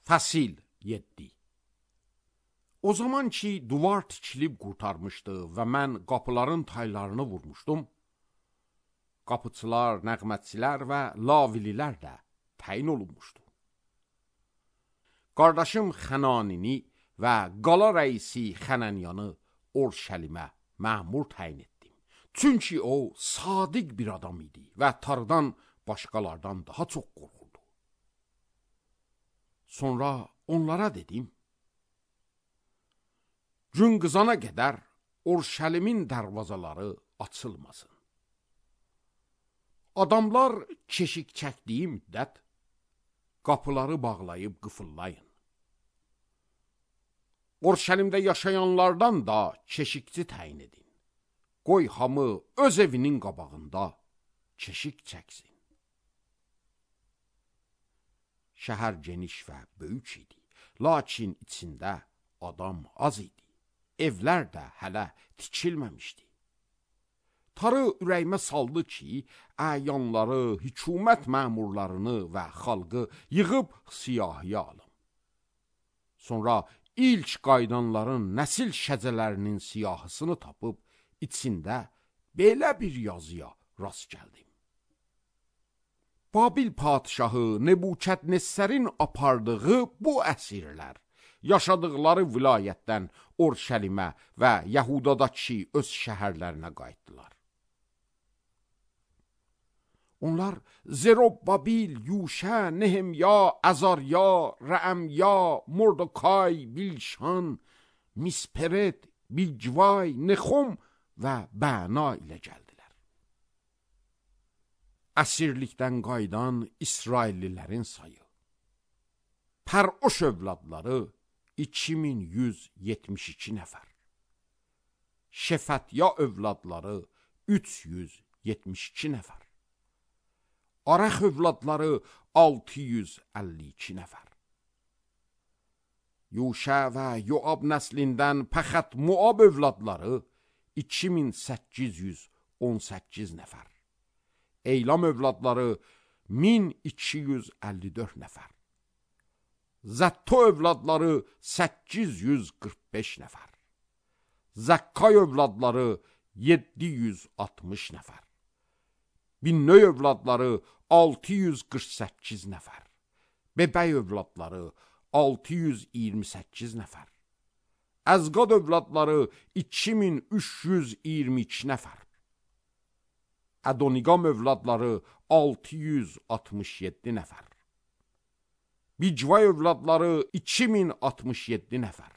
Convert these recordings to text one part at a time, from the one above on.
Fəsil 7. O zaman ki, duvar tikilib qurtarmışdı və mən qapıların taylarını vurmuşdum, qapıçılar, nəğmətçilər və lavililər də təyin olunmuşdu. Qardaşım Xənanini və qala rəisi Xənənyanı Orşəlimə məmur təyin etdim. Çünki o, sadiq bir adam idi və tarıdan başqalardan daha çox qorxurdu. Sonra onlara dedim, gün qızana qədər Orşəlimin dərvazaları açılmasın. Adamlar keşik çəkdiyi müddət qapıları bağlayıb qıfıllayın. Orşəlimdə yaşayanlardan da keşikçi təyin edin. Qoy hamı öz evinin qabağında keşik çəksin. Şəhər geniş və böyük idi, lakin içində adam az idi. Evlər də hələ tikilməmişdi. Tarı ürəyimə saldı ki, əyanları, hükümət məmurlarını və xalqı yığıb siyahıya alım. Sonra ilk qaydanların nəsil şəcələrinin siyahısını tapıb, içində belə bir yazıya rast gəldim. Babil padişahı Nebukadnezərin apardığı bu əsirlər, yaşadıqları vilayətdən Orşəlimə və Yəhudadakı öz şəhərlərinə qayıtdılar. Onlar Zerobbabil, Yuşə, Nehemya, Əzarya, Rəəmya, Mordokay, Bilşan, Misperet, Bigvay, Nexom və Bəna ilə gəldilər. Əsirlikdən qaydan İsraillilərin sayı. Pəroş övladları 2172 nəfər. Şefətya övladları 372 nəfər. Arax övladları 652 nəfər. Yuşə və Yoab nəslindən Pəxət Moab övladları 2818 nəfər. Eylam övladları 1254 nəfər. Zətto övladları 845 nəfər. Zəkkay övladları 760 nəfər. Binnöy övladları 648 nəfər. Bebəy övladları 628 nəfər. Əzqad övladları 2322 nəfər. Ədoniqam övladları 667 nəfər. Bicvay övladları 2067 nəfər.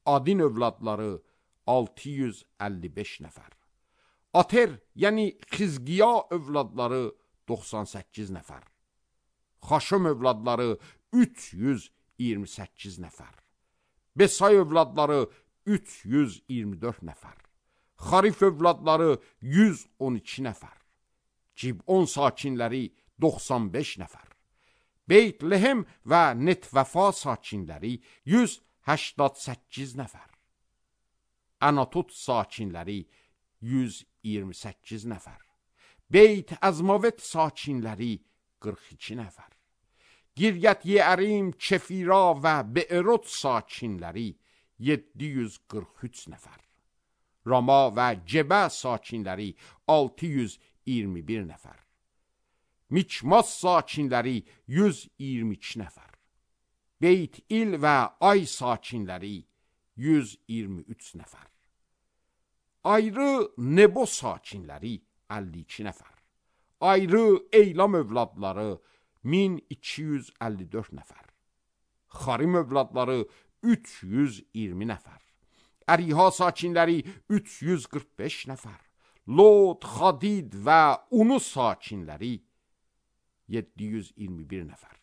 Adin övladları 655 nəfər. Ater, yəni Xizqiya övladları 98 nəfər. Xaşım övladları 328 nəfər. Besay övladları 324 nəfər. Xarif övladları 112 nəfər. Cibon sakinləri 95 nəfər. Beytlehem və Netvəfa sakinləri 188 nəfər. Anatot sakinləri 128 nəfər. Beyt Əzmavet sakinləri 42 nəfər. Giryət Yeərim, Kefira və Be'erot sakinləri 743 nəfər. Rama və Cebə sakinləri 621 nəfər. Mikmas sakinləri 122 nəfər. Beyt İl və Ay sakinləri 123 nəfər. Ayrı Nebo sakinləri 52 nəfər. Ayrı Eylam övladları 1254 nəfər. Xarim övladları 320 nəfər. Əriha sakinləri 345 nəfər. Lod, Xadid və Unu sakinləri 721 nəfər.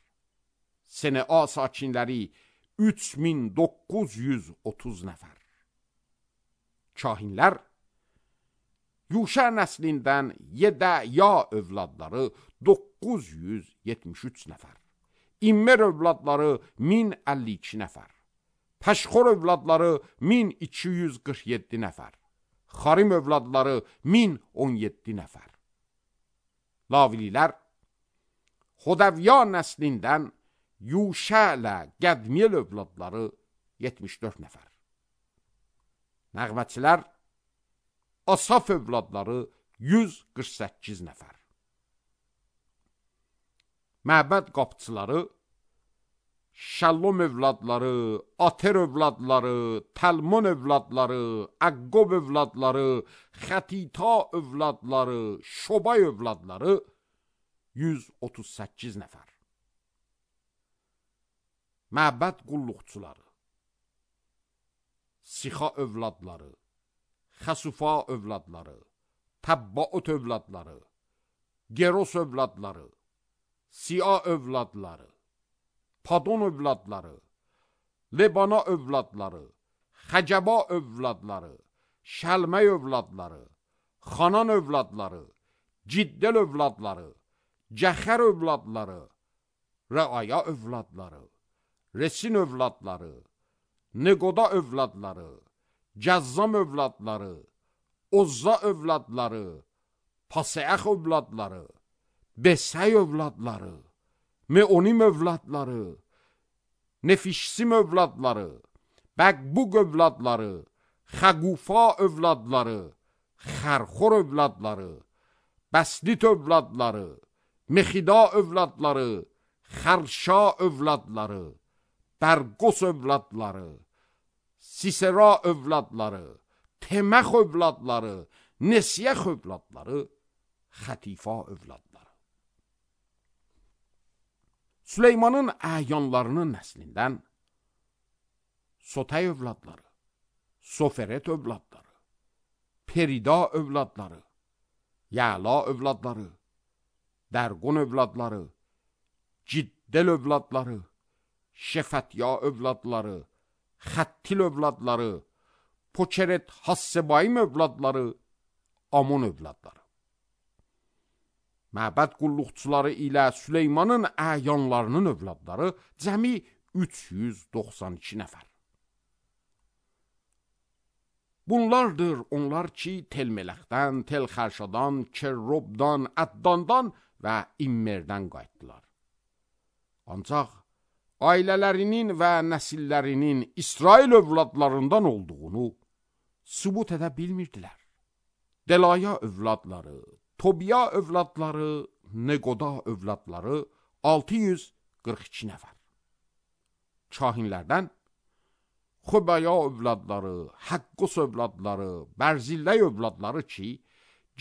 Senea sakinləri 3930 nəfər. Kahinlər Yuşə nəslindən Yedəya övladları 973 nəfər. İmmer övladları 1052 nəfər. Pəşxor övladları 1247 nəfər. Xarim övladları 1017 nəfər. Lavililər Xodəvya nəslindən Yuşə ilə Qədmiyel övladları 74 nəfər. Nəğməçilər Asaf övladları 148 nəfər. Məbəd qapıçıları Şallum övladları, Ater övladları, Təlmon övladları, Əqqob övladları, Xətita övladları, Şobay övladları 138 nəfər. Məbəd qulluqçuları Sixa övladları, Xəsufa övladları, Təbbaut övladları, Geros övladları, Siya övladları, Padon övladları, Lebana övladları, Xəcəba övladları, Şəlmə övladları, Xanan övladları, Ciddel övladları, Cəxər övladları, Rəaya övladları, Resin övladları, Neqoda övladları, Cəzzam övladları, Ozza övladları, Paseəx övladları, Besəy övladları, Meonim övladları, Nefişsim övladları, Bəqbuq övladları, Xəqufa övladları, Xərxor övladları, Bəslit övladları, Mexida övladları, Xərşa övladları, Bərqos övladları, Sisera övladları, Teməx övladları, Nesiyəx övladları, Xətifa övladları. Süleymanın əyanlarının nəslindən Sotay övladları, Soferet övladları, Perida övladları, Yəla övladları, Dərqon övladları, Ciddel övladları, Şefətya övladları, Xəttil övladları, Poçeret Hassebayim övladları, Amon övladları. Məbəd qulluqçuları ilə Süleymanın əyanlarının övladları cəmi 392 nəfər. Bunlardır onlar ki, Tel-Mələxdən, Tel-Xərşadan, Kerrobdan, Əddandan və İmmerdən qayıtdılar. Ancaq ailələrinin və nəsillərinin İsrail övladlarından olduğunu sübut edə bilmirdilər. Delaya övladları, Tobiya övladları, Neqoda övladları 642 nəfər. Kahinlərdən Xobaya övladları, Həqqos övladları, Bərzilləy övladları ki,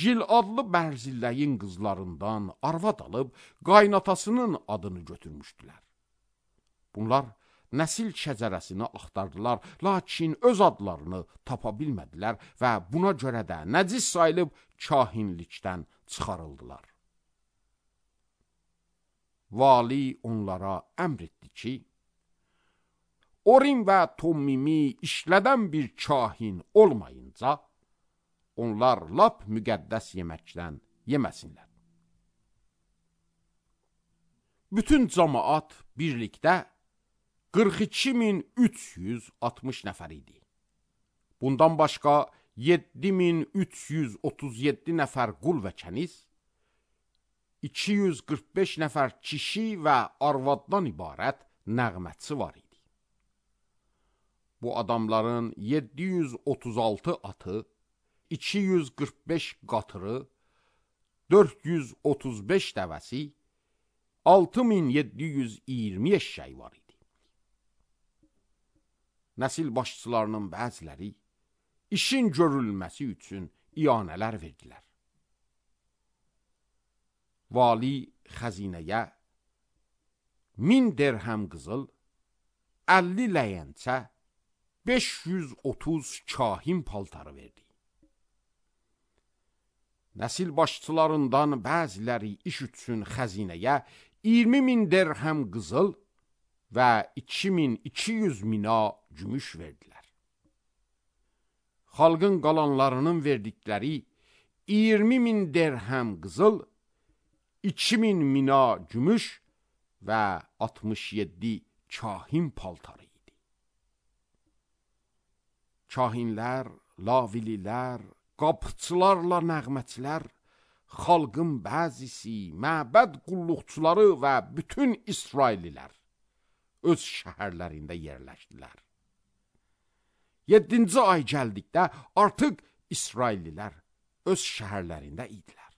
Giladlı Bərzilləyin qızlarından arvad alıb qaynatasının adını götürmüşdülər. Bunlar nəsil şəcərəsini axtardılar, lakin öz adlarını tapa bilmədilər və buna görə də nəcis sayılıb kahinlikdən çıxarıldılar. Vali onlara əmr etdi ki, Orim və Tommimi işlədən bir kahin olmayınca, onlar lap müqəddəs yeməkdən yeməsinlər. Bütün cəmaat birlikdə 42.360 nəfər idi. Bundan başqa 7.337 nəfər qul və kəniz, 245 nəfər kişi və arvaddan ibarət nəğmətçi var idi. Bu adamların 736 atı, 245 qatırı, 435 dəvəsi, 6720 eşşəyi var idi. Nəsil başçılarının bəziləri işin görülməsi üçün iyanələr verdilər. Vali xəzinəyə 1000 dirhəm qızıl, 50 ləyəncə, 530 kahin paltarı verdi. Nəsil başçılarından bəziləri iş üçün xəzinəyə 20.000 dirhəm qızıl və 2200 mina gümüş verdilər. Xalqın qalanlarının verdikləri 20.000 dirhəm qızıl, 2000 mina gümüş və 67 kahin paltarı idi. Kahinlər, lavililər, qapıçılarla nəğməçilər, xalqın bəzisi, məbəd qulluqçuları və bütün İsraillilər öz şəhərlərində yerləşdilər. 7-ci ay gəldikdə artıq İsraillilər öz şəhərlərində idilər.